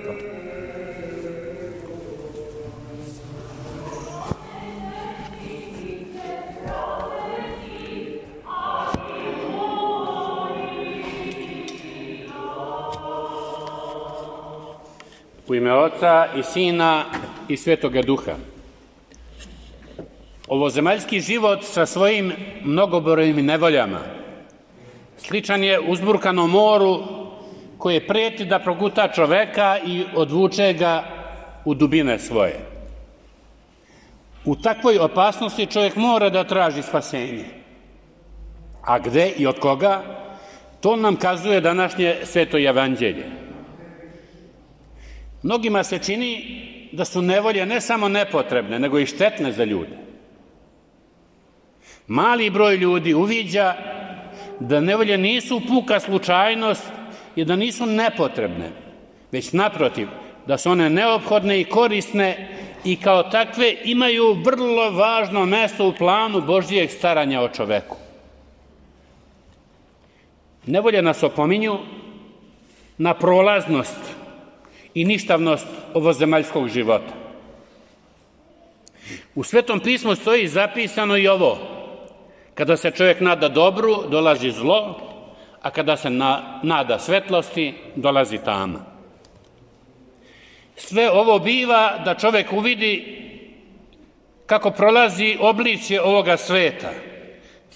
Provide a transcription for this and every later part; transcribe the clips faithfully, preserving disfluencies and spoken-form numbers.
to. U ime Oca i Sina i Svetoga Duha. Ovozemaljski život sa svojim mnogobrojnim nevoljama sličan je uzburkanom moru koje prijeti da proguta čoveka i odvuče ga u dubine svoje. U takvoj opasnosti čovjek mora da traži spasenje. A gde i od koga? To nam kazuje današnje Sveto evanđelje. Mnogima se čini da su nevolje ne samo nepotrebne, nego i štetne za ljude. Mali broj ljudi uviđa da nevolje nisu puka slučajnost i da nisu nepotrebne, već naprotiv, da su one neophodne i korisne i kao takve imaju vrlo važno mesto u planu Božjeg staranja o čoveku. Nevolje nas opominju na prolaznost i ništavnost ovozemaljskog života. U Svetom pismu stoji zapisano i ovo: kada se čovjek nada dobru, dolazi zlo, a kada se na, nada svetlosti, dolazi tama. Sve ovo biva da čovjek uvidi kako prolazi obličje ovoga sveta,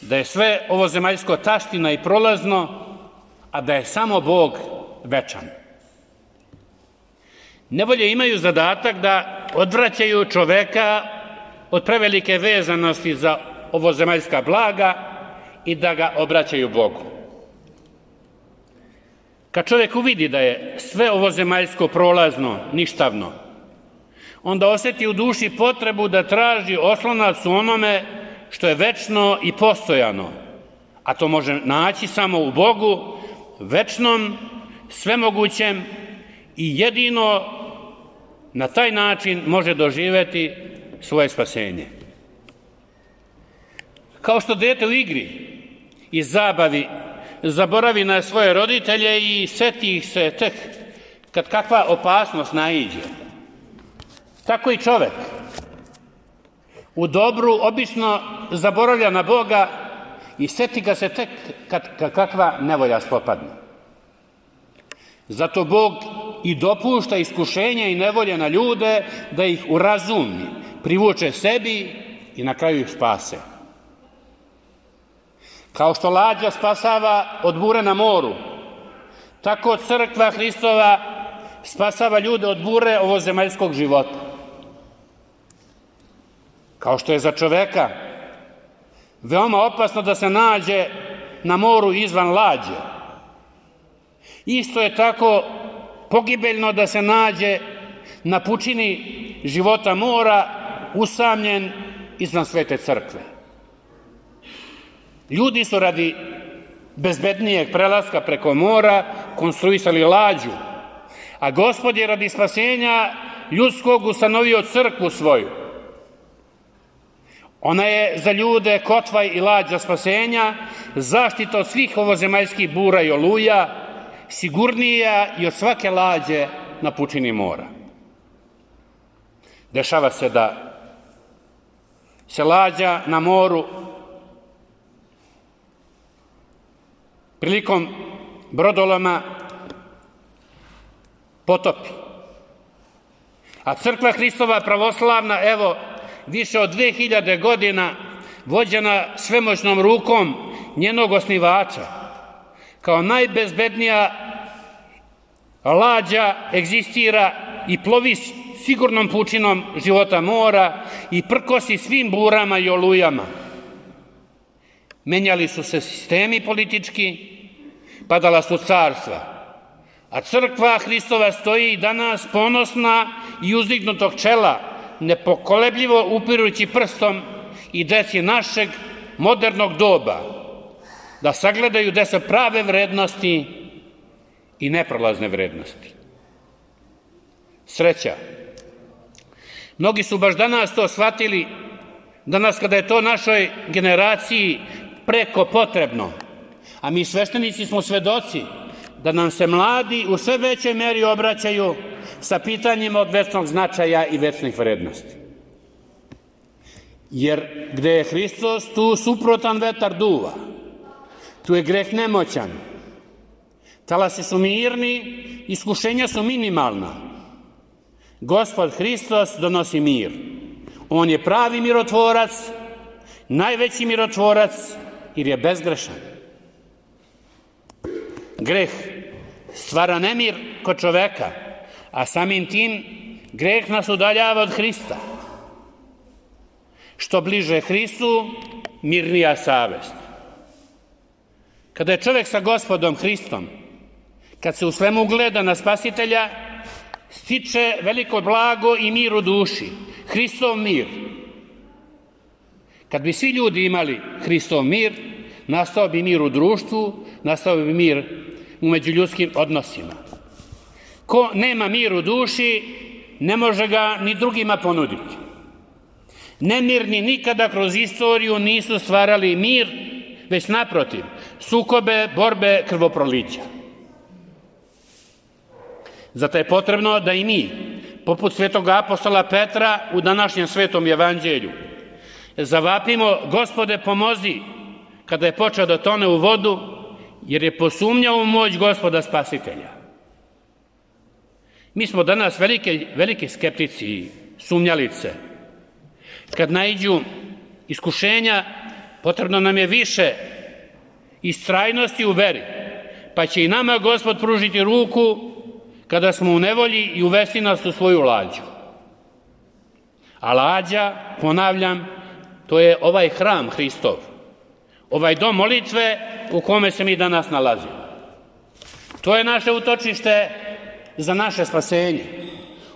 da je sve ovozemaljsko taština i prolazno, a da je samo Bog večan. Nevolje imaju zadatak da odvraćaju čoveka od prevelike vezanosti za ovozemaljska blaga i da ga obraćaju Bogu. Kad čovjek uvidi da je sve ovozemaljsko prolazno, ništavno, onda osjeti u duši potrebu da traži oslonac u onome što je večno i postojano, a to može naći samo u Bogu, večnom, svemogućem i jedino na taj način može doživjeti svoje spasenje. Kao što dete u igri i zabavi zaboravi na svoje roditelje i seti ih se tek kad kakva opasnost naiđe, tako i čovek u dobru obično zaboravlja na Boga i seti ga se tek kad, kad kakva nevolja spopadne. Zato Bog i dopušta iskušenja i nevolje na ljude da ih urazumi, privuče sebi i na kraju ih spase. Kao što lađa spasava od bure na moru, tako crkva Hristova spasava ljude od bure ovozemaljskog života. Kao što je za čoveka veoma opasno da se nađe na moru izvan lađe, isto je tako pogibeljno da se nađe na pučini života mora, usamljen izvan svete crkve. Ljudi su radi bezbednijeg prelaska preko mora konstruisali lađu, a Gospod je radi spasenja ljudskog ustanovio crkvu svoju. Ona je za ljude kotvaj i lađa spasenja, zaštita od svih ovozemaljskih bura i oluja, sigurnija i od svake lađe na pučini mora. Dešava se da se lađa na moru prilikom brodoloma potopi. A crkva Hristova pravoslavna, evo, više od dve hiljade godina, vođena svemoćnom rukom njenog osnivača, kao najbezbednija lađa egzistira i plovi sigurnom pučinom života mora i prkosi svim burama i olujama. Menjali su se sistemi politički, padala su carstva, a crkva Hristova stoji i danas ponosna i uzdignutog čela, nepokolebljivo upirujući prstom i deci našeg modernog doba, da sagledaju gde su prave vrednosti i neprolazne vrednosti. Sreća. Mnogi su baš danas to shvatili, danas kada je to našoj generaciji preko potrebno, a mi sveštenici smo svedoci da nam se mladi u sve većoj meri obraćaju sa pitanjima od večnog značaja i večnih vrednosti. Jer gde je Hristos, tu suprotan vetar duva. Tu je greh nemoćan. Talasi su mirni, iskušenja su minimalna. Gospod Hristos donosi mir. On je pravi mirotvorac, najveći mirotvorac, jer je bezgrešan. Greh stvara nemir kod čoveka, a samim tim greh nas udaljava od Hrista. Što bliže Hristu, mirnija savest. Kada je čovjek sa Gospodom Hristom, kad se u svemu gleda na Spasitelja, stiče veliko blago i mir u duši, Hristov mir. Kad bi svi ljudi imali Hristov mir, nastao bi mir u društvu, nastao bi mir u međuljudskim odnosima. Ko nema mir u duši, ne može ga ni drugima ponuditi. Nemirni nikada kroz istoriju nisu stvarali mir, već naprotiv, sukobe, borbe, krvoprolića. Zato je potrebno da i mi, poput svetog apostola Petra u današnjem svetom evanđelju, zavapimo: Gospode, pomozi, kada je počeo da tone u vodu, jer je posumnjao u moć Gospoda Spasitelja. Mi smo danas velike, velike skeptici i sumnjalice. Kad naiđu iskušenja, potrebno nam je više istrajnosti u veri, pa će i nama Gospod pružiti ruku kada smo u nevolji i uvesti nas u svoju lađu. A lađa, ponavljam, to je ovaj hram Hristov, ovaj dom molitve u kome se mi danas nalazimo. To je naše utočište za naše spasenje.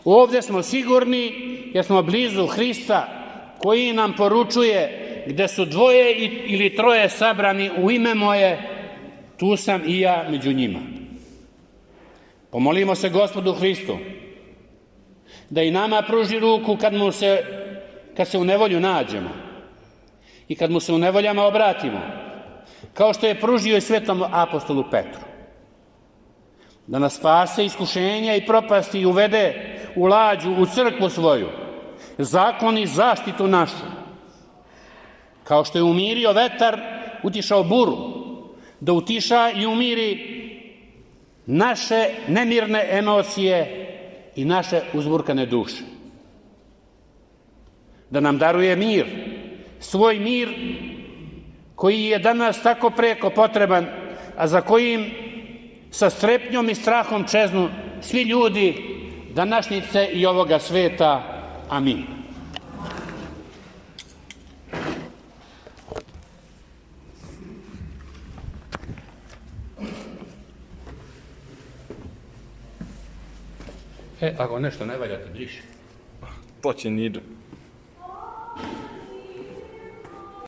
Ovdje smo sigurni jer smo blizu Hrista, koji nam poručuje: gde su dvoje ili troje sabrani u ime moje, tu sam i ja među njima. Pomolimo se Gospodu Hristu da i nama pruži ruku kad, mu se, kad se u nevolju nađemo i kad mu se u nevoljama obratimo, kao što je pružio i svetom apostolu Petru. Da nas spase iskušenja i propasti i uvede u lađu, u crkvu svoju, zakon i zaštitu našu. Kao što je umirio vetar, utišao buru, da utiša i umiri naše nemirne emocije i naše uzburkane duše. Da nam daruje mir, svoj mir koji je danas tako preko potreban, a za kojim sa strepnjom i strahom čeznu svi ljudi današnjice i ovoga sveta. Amin. E, ako nešto ne valja, ti briši. Počin idu.